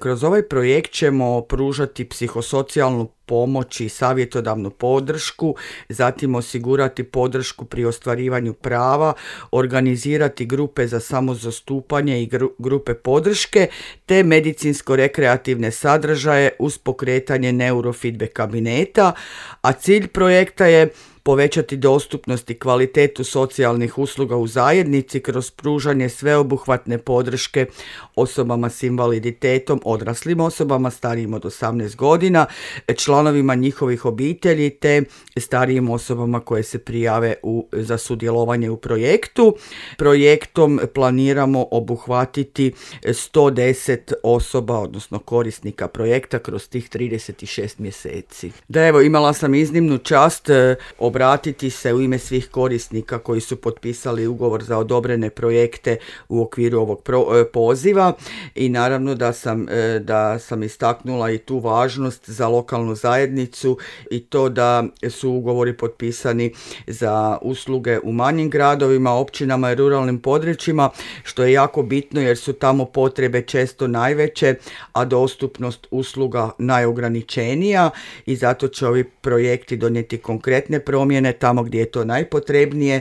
Kroz ovaj projekt ćemo pružati psihosocijalnu pomoć i savjetodavnu podršku, zatim osigurati podršku pri ostvarivanju prava, organizirati grupe za samozastupanje i grupe podrške, te medicinsko-rekreativne sadržaje uz pokretanje neurofeedback kabineta, a cilj projekta je povećati dostupnost i kvalitetu socijalnih usluga u zajednici kroz pružanje sveobuhvatne podrške osobama s invaliditetom, odraslim osobama starijim od 18 godina, članovima njihovih obitelji te starijim osobama koje se prijave za sudjelovanje u projektu. Projektom planiramo obuhvatiti 110 osoba, odnosno korisnika projekta kroz tih 36 mjeseci. Da, evo, imala sam iznimnu čast obratiti se u ime svih korisnika koji su potpisali ugovor za odobrene projekte u okviru ovog poziva i naravno da sam istaknula i tu važnost za lokalnu zajednicu i to da su ugovori potpisani za usluge u manjim gradovima, općinama i ruralnim područjima, što je jako bitno jer su tamo potrebe često najveće, a dostupnost usluga najograničenija i zato će ovi projekti donijeti konkretne promjene tamo gdje je to najpotrebnije.